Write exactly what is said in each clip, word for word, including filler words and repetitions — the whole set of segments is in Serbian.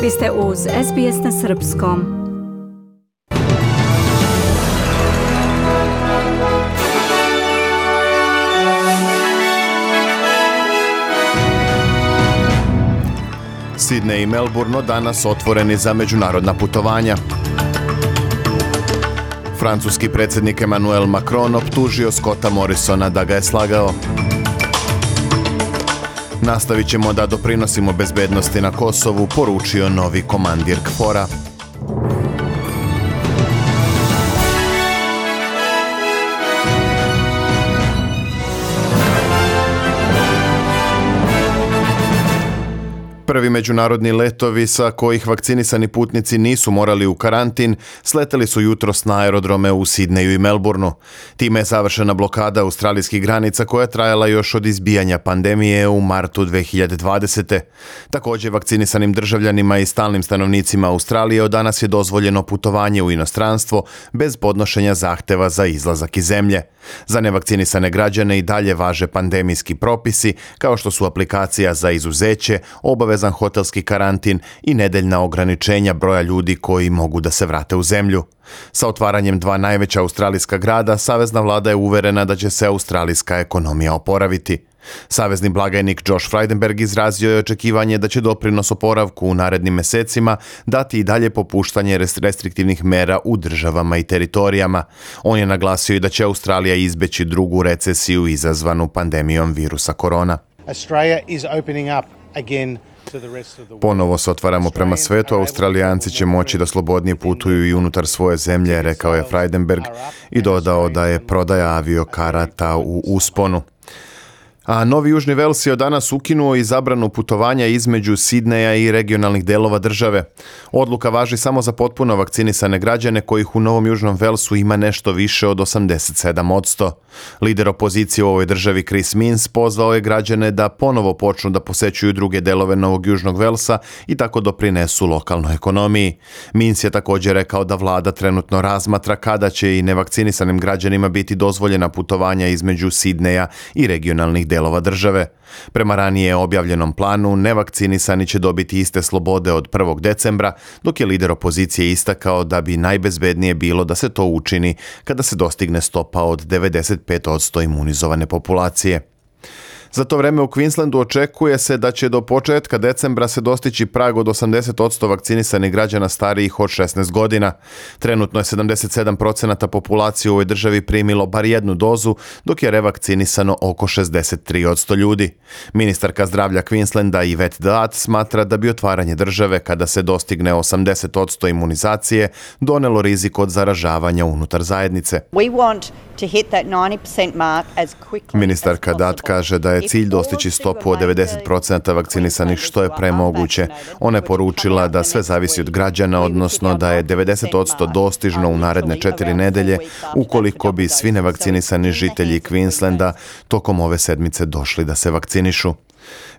Vi ste uz S B S na srpskom. Sidney i Melbourne danas otvoreni za međunarodna putovanja. Francuski predsjednik Emmanuel Macron optužio Scotta Morrisona da ga je slagao. Nastavit ćemo da doprinosimo bezbednosti na Kosovu, poručio novi komandir K F O R-a. Prvi međunarodni letovi sa kojih vakcinisani putnici nisu morali u karantin sleteli su jutros na aerodrome u Sidneju i Melbourneu. Time je završena blokada australijskih granica koja je trajala još od izbijanja pandemije u martu dve hiljade dvadesete. Također vakcinisanim državljanima i stalnim stanovnicima Australije od danas je dozvoljeno putovanje u inostranstvo bez podnošenja zahteva za izlazak iz zemlje. Za nevakcinisane građane i dalje važe pandemijski propisi kao što su aplikacija za izuzeće, obavezan hotelski karantin i nedeljna ograničenja broja ljudi koji mogu da se vrate u zemlju. Sa otvaranjem dva najveća australijska grada, savezna vlada je uverena da će se australijska ekonomija oporaviti. Savezni blagajnik Josh Frydenberg izrazio je očekivanje da će doprinos oporavku u narednim mesecima dati i dalje popuštanje restriktivnih mera u državama i teritorijama. On je naglasio i da će Australija izbeći drugu recesiju izazvanu pandemijom virusa korona. Australia is opening up again. Ponovo se otvaramo prema svetu, Australijanci će moći da slobodnije putuju i unutar svoje zemlje, rekao je Frydenberg i dodao da je prodaja aviokarata u usponu. A Novi Južni Vels je od danas ukinuo i zabranu putovanja između Sidneja i regionalnih delova države. Odluka važi samo za potpuno vakcinisane građane kojih u Novom Južnom Velsu ima nešto više od osamdeset sedam posto. Lider opozicije u ovoj državi Chris Minns pozvao je građane da ponovo počnu da posećuju druge delove Novog Južnog Velsa i tako doprinesu lokalnoj ekonomiji. Minns je također rekao da vlada trenutno razmatra kada će i nevakcinisanim građanima biti dozvoljena putovanja između Sidneja i regionalnih delova države. Prema ranije objavljenom planu, nevakcinisani će dobiti iste slobode od prvog decembra, dok je lider opozicije istakao da bi najbezbednije bilo da se to učini kada se dostigne stopa od devedeset pet posto imunizovane populacije. Za to vreme u Queenslandu očekuje se da će do početka decembra se dostići prag od osamdeset posto vakcinisanih građana starijih od šesnaest godina. Trenutno je sedamdeset sedam posto populacije u ovoj državi primilo bar jednu dozu, dok je revakcinisano oko šezdeset tri posto ljudi. Ministarka zdravlja Queenslanda Yvette D'Ath smatra da bi otvaranje države kada se dostigne osamdeset posto imunizacije donelo rizik od zaražavanja unutar zajednice. We want to hit that ninety percent mark as quickly Ministarka as D'Ath kaže da je cilj dostići stopu od devedeset posto vakcinisanih što je premoguće. Ona je poručila da sve zavisi od građana, odnosno da je devedeset posto dostižno u naredne četiri nedelje ukoliko bi svi nevakcinisani žitelji Queenslanda tokom ove sedmice došli da se vakcinišu.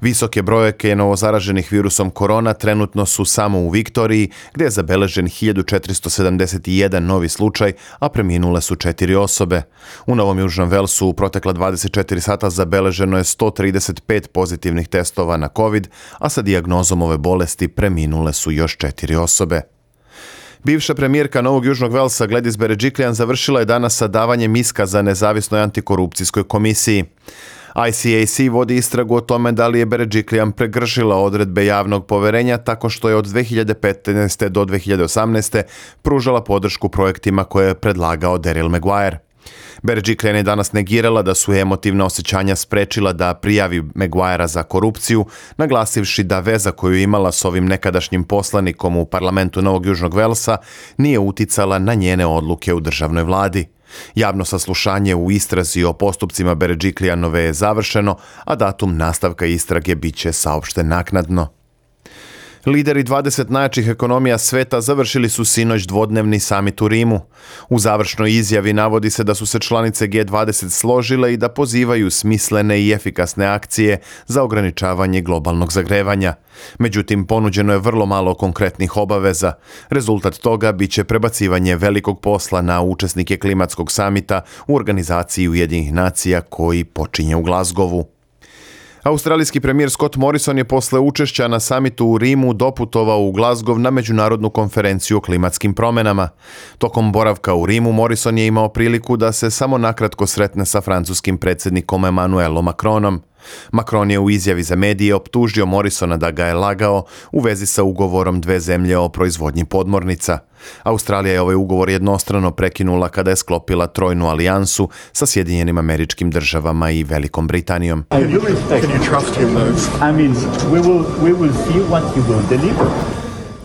Visoke brojke novozaraženih virusom korona trenutno su samo u Viktoriji, gdje je zabeležen hiljadu četiristo sedamdeset jedan novi slučaj, a preminule su četiri osobe. U Novom Južnom Velsu u protekla dvadeset četiri sata zabeleženo je sto trideset pet pozitivnih testova na COVID, a sa dijagnozom ove bolesti preminule su još četiri osobe. Bivša premijerka Novog Južnog Velsa Gladys Berejiklian završila je danas sa davanjem iskaza nezavisnoj antikorupcijskoj komisiji. I C A C vodi istragu o tome da li je Berejiklian prekršila odredbe javnog poverenja tako što je od dve hiljade petnaeste do dve hiljade osamnaeste pružala podršku projektima koje je predlagao Daryl Maguire. Berejiklian je danas negirala da su emotivna osjećanja sprečila da prijavi Maguirea za korupciju, naglasivši da veza koju je imala s ovim nekadašnjim poslanikom u parlamentu Novog Južnog Velsa nije uticala na njene odluke u državnoj vladi. Javno saslušanje u istrazi o postupcima Berejiklianove je završeno, a datum nastavka istrage bit će saopšten naknadno. Lideri dvadeset najjačih ekonomija sveta završili su sinoć dvodnevni samit u Rimu. U završnoj izjavi navodi se da su se članice G dvadeset složile i da pozivaju smislene i efikasne akcije za ograničavanje globalnog zagrevanja. Međutim, ponuđeno je vrlo malo konkretnih obaveza. Rezultat toga biće prebacivanje velikog posla na učesnike klimatskog samita u organizaciji Ujedinjenih nacija koji počinje u Glasgowu. Australijski premijer Scott Morrison je posle učešća na samitu u Rimu doputovao u Glasgow na međunarodnu konferenciju o klimatskim promjenama. Tokom boravka u Rimu Morrison je imao priliku da se samo nakratko sretne sa francuskim predsjednikom Emmanuelom Macronom. Macron je u izjavi za medije optužio Morrisona da ga je lagao u vezi sa ugovorom dve zemlje o proizvodnji podmornica. Australija je ovaj ugovor jednostrano prekinula kada je sklopila trojnu alijansu sa Sjedinjenim Američkim Državama i Velikom Britanijom.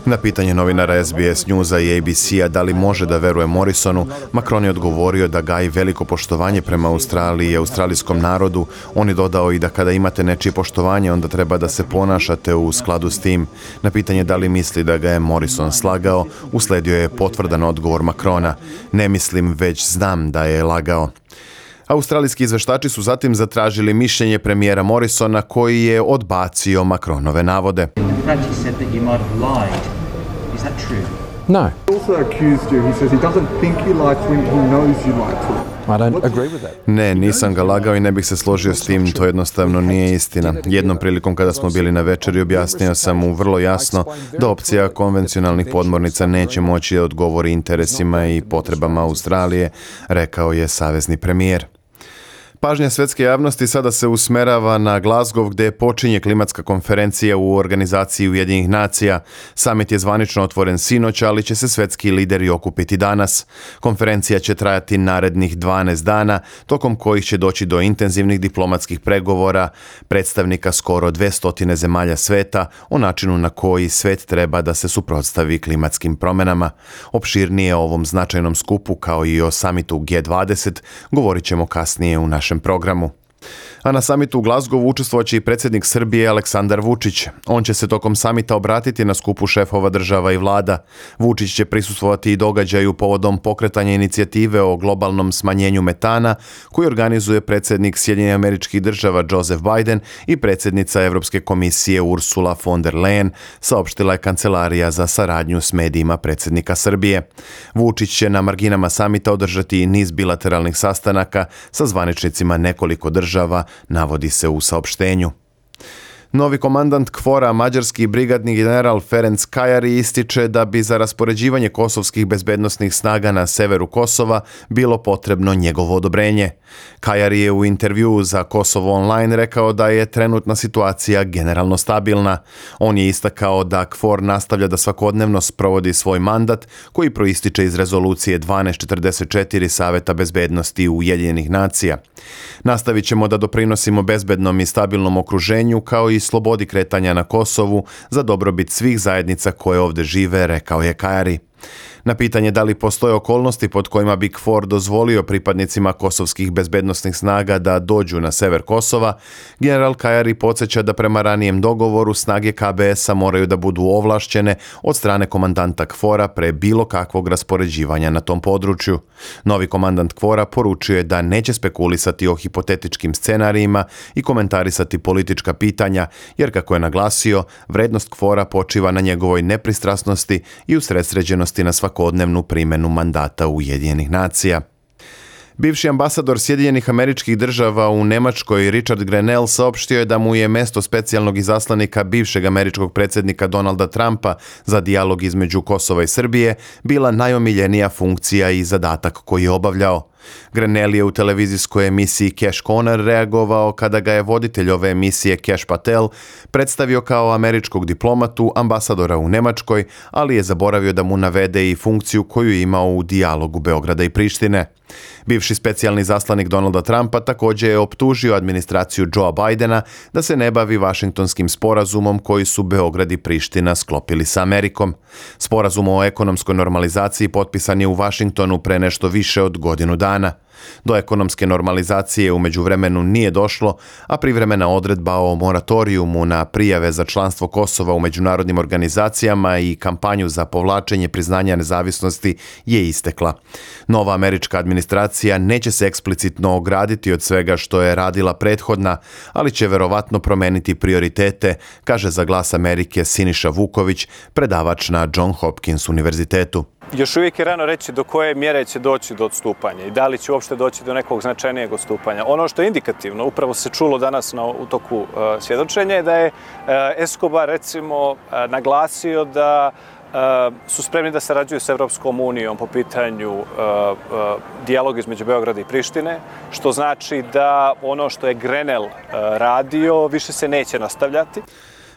Na pitanje novinara S B S Newsa i A B C-a da li može da veruje Morrisonu, Macron je odgovorio da gaji veliko poštovanje prema Australiji i australijskom narodu. On je dodao i da kada imate nečije poštovanje, onda treba da se ponašate u skladu s tim. Na pitanje da li misli da ga je Morrison slagao, usledio je potvrdan odgovor Macrona. Ne mislim, već znam da je lagao. Australijski izveštači su zatim zatražili mišljenje premijera Morrisona koji je odbacio Macronove navode. No. He also accused you. He says he doesn't think you like to him. He knows you like to him. I don't agree with that. Ne, nisam ga lagao i ne bih se složio s tim, to jednostavno nije istina. Jednom prilikom kada smo bili na večeri objasnio sam mu vrlo jasno da opcija konvencionalnih podmornica neće moći da odgovori interesima i potrebama Australije, rekao je savezni premijer. Pažnja svetske javnosti sada se usmerava na Glasgow gdje počinje klimatska konferencija u organizaciji Ujedinjenih nacija. Samit je zvanično otvoren sinoć, ali će se svetski lideri okupiti danas. Konferencija će trajati narednih dvanaest dana, tokom kojih će doći do intenzivnih diplomatskih pregovora predstavnika skoro dvesta zemalja sveta o načinu na koji svet treba da se suprotstavi klimatskim promjenama. Opširnije o ovom značajnom skupu kao i o samitu G dvadeset govorit ćemo kasnije u našem programu. A na samitu u Glasgowu učestvovaće i predsjednik Srbije Aleksandar Vučić. On će se tokom samita obratiti na skupu šefova država i vlada. Vučić će prisustvovati i događaju povodom pokretanja inicijative o globalnom smanjenju metana koji organizuje predsjednik Sjedinjenih Američkih Država Joseph Biden i predsjednica Europske komisije Ursula von der Leyen, saopštila je Kancelarija za saradnju s medijima predsjednika Srbije. Vučić će na marginama samita održati i niz bilateralnih sastanaka sa zvaničnicima nekoliko država, navodi se u saopštenju. Novi komandant K F O R-a, mađarski brigadni general Ferenc Kajari, ističe da bi za raspoređivanje kosovskih bezbednosnih snaga na severu Kosova bilo potrebno njegovo odobrenje. Kajari je u intervjuu za Kosovo Online rekao da je trenutna situacija generalno stabilna. On je istakao da K F O R nastavlja da svakodnevno sprovodi svoj mandat koji proističe iz rezolucije dvanaest četrdeset četiri Saveta bezbednosti Ujedinjenih nacija. Nastavit ćemo da doprinosimo bezbednom i stabilnom okruženju kao i slobodi kretanja na Kosovu za dobrobit svih zajednica koje ovdje žive, rekao je Kajari. Na pitanje da li postoje okolnosti pod kojima bi K F O R dozvolio pripadnicima kosovskih bezbednosnih snaga da dođu na sever Kosova, general Kajari podsjeća da prema ranijem dogovoru snage K B S-a moraju da budu ovlašćene od strane komandanta K F O R-a pre bilo kakvog raspoređivanja na tom području. Novi komandant K F O R-a poručio je da neće spekulisati o hipotetičkim scenarijima i komentarisati politička pitanja, jer kako je naglasio, vrednost K F O R-a počiva na njegovoj nepristrasnosti i usredsređenosti na svakodnevnu primjenu mandata Ujedinjenih nacija. Bivši ambasador Sjedinjenih Američkih Država u Nemačkoj Richard Grenell saopštio je da mu je mesto specijalnog izaslanika bivšeg američkog predsjednika Donalda Trumpa za dijalog između Kosova i Srbije bila najomiljenija funkcija i zadatak koji je obavljao. Grenell je u televizijskoj emisiji Cash Corner reagovao kada ga je voditelj ove emisije Cash Patel predstavio kao američkog diplomatu, ambasadora u Nemačkoj, ali je zaboravio da mu navede i funkciju koju je imao u dijalogu Beograda i Prištine. Bivši specijalni zaslanik Donalda Trumpa također je optužio administraciju Joea Bidena da se ne bavi Vašingtonskim sporazumom koji su Beograd i Priština sklopili sa Amerikom. Sporazum o ekonomskoj normalizaciji potpisan je u Vašingtonu pre nešto više od godinu dana. Do ekonomske normalizacije u međuvremenu nije došlo, a privremena odredba o moratorijumu na prijave za članstvo Kosova u međunarodnim organizacijama i kampanju za povlačenje priznanja nezavisnosti je istekla. Nova američka administracija neće se eksplicitno ograditi od svega što je radila prethodna, ali će verovatno promeniti prioritete, kaže za Glas Amerike Siniša Vuković, predavač na John Hopkins univerzitetu. još uvijek je rano reći do koje mjere će doći do odstupanja i da li će uopšte doći do nekog značajnijeg odstupanja. Ono što je indikativno, upravo se čulo danas na, u toku uh, svjedočenja, je da je uh, Escobar recimo uh, naglasio da uh, su spremni da sarađuju s Evropskom unijom po pitanju uh, uh, dijaloga između Beograda i Prištine, što znači da ono što je Grenell uh, radio više se neće nastavljati.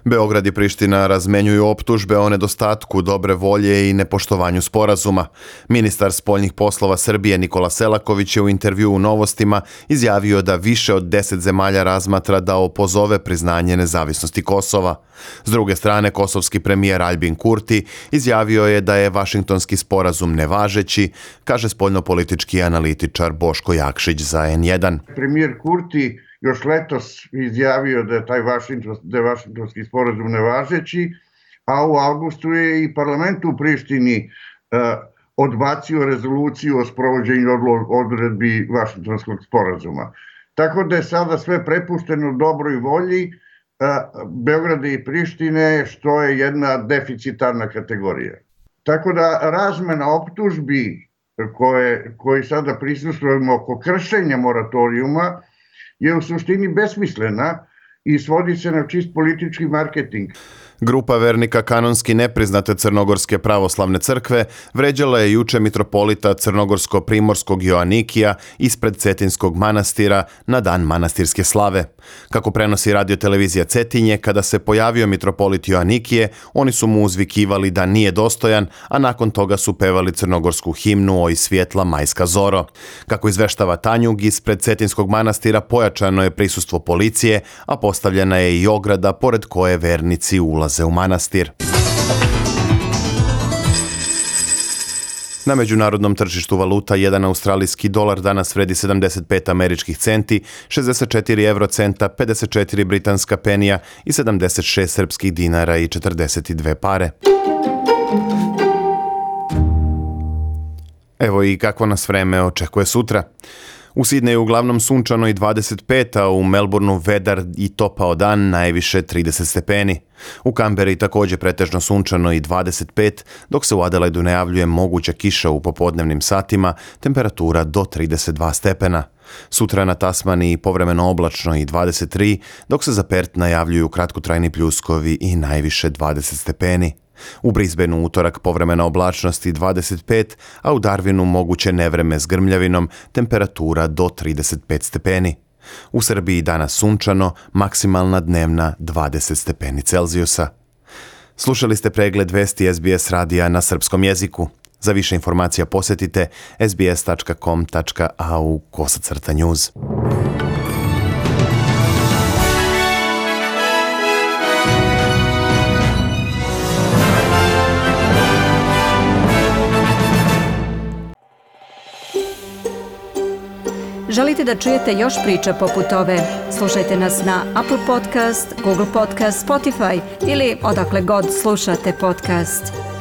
Beograd i Priština razmenjuju optužbe o nedostatku dobre volje i nepoštovanju sporazuma. Ministar spoljnih poslova Srbije Nikola Selaković je u intervjuu u Novostima izjavio da više od deset zemalja razmatra da opozove priznanje nezavisnosti Kosova. S druge strane, kosovski premijer Albin Kurti izjavio je da je Vašingtonski sporazum nevažeći, kaže spoljnopolitički analitičar Boško Jakšić za en jedan. Premijer Kurti još letos izjavio da je taj Vašington, da je Vašingtonski sporazum nevažeći, a u avgustu je i parlament u Prištini eh, odbacio rezoluciju o sprovođenju odredbi Vašingtonskog sporazuma. Tako da je sada sve prepušteno dobroj volji eh, Beograda i Prištine, što je jedna deficitarna kategorija. Tako da razmena optužbi koje, koji sada prisustvujemo oko kršenja moratorijuma je u suštini besmislena i svodi se na čist politički marketing. Grupa vernika kanonski nepriznate Crnogorske pravoslavne crkve vređala je juče mitropolita Crnogorsko-primorskog Joanikija ispred Cetinskog manastira na dan manastirske slave. Kako prenosi radiotelevizija Cetinje, kada se pojavio mitropolit Joanikije, oni su mu uzvikivali da nije dostojan, a nakon toga su pevali crnogorsku himnu Oj svjetla majska zoro. Kako izveštava Tanjug, ispred Cetinskog manastira pojačano je prisustvo policije, a postavljena je i ograda pored koje vernici ulaze u manastir. Na međunarodnom tržištu valuta jedan australijski dolar danas vredi sedamdeset pet američkih centi, šezdeset četiri eurocenta, pedeset četiri britanska penija i sedamdeset šest srpskih dinara i četrdeset dve pare. Evo i kako nas vreme očekuje sutra. U Sidneju uglavnom sunčano i dvadeset pet, a u Melbourneu vedar i topao dan, najviše trideset stepeni. U Kamberi također pretežno sunčano i dvadeset pet, dok se u Adelaidu najavljuje moguća kiša u popodnevnim satima, temperatura do trideset dva stepena. Sutra na Tasmaniji povremeno oblačno i dvadeset tri, dok se za Perth najavljuju kratkotrajni pljuskovi i najviše dvadeset stepeni. U Brisbaneu utorak povremena oblačnost i dvadeset pet, a u Darwinu moguće nevreme s grmljavinom, temperatura do trideset pet stepeni. U Srbiji danas sunčano, maksimalna dnevna dvadeset stepeni Celzijusa. Slušali ste pregled vesti es be es radija na srpskom jeziku. Za više informacija posjetite es be es tačka com tačka a u kosacrta news. Želite da čujete još priča poput ove? Slušajte nas na Apple Podcast, Google Podcast, Spotify ili odakle god slušate podcast.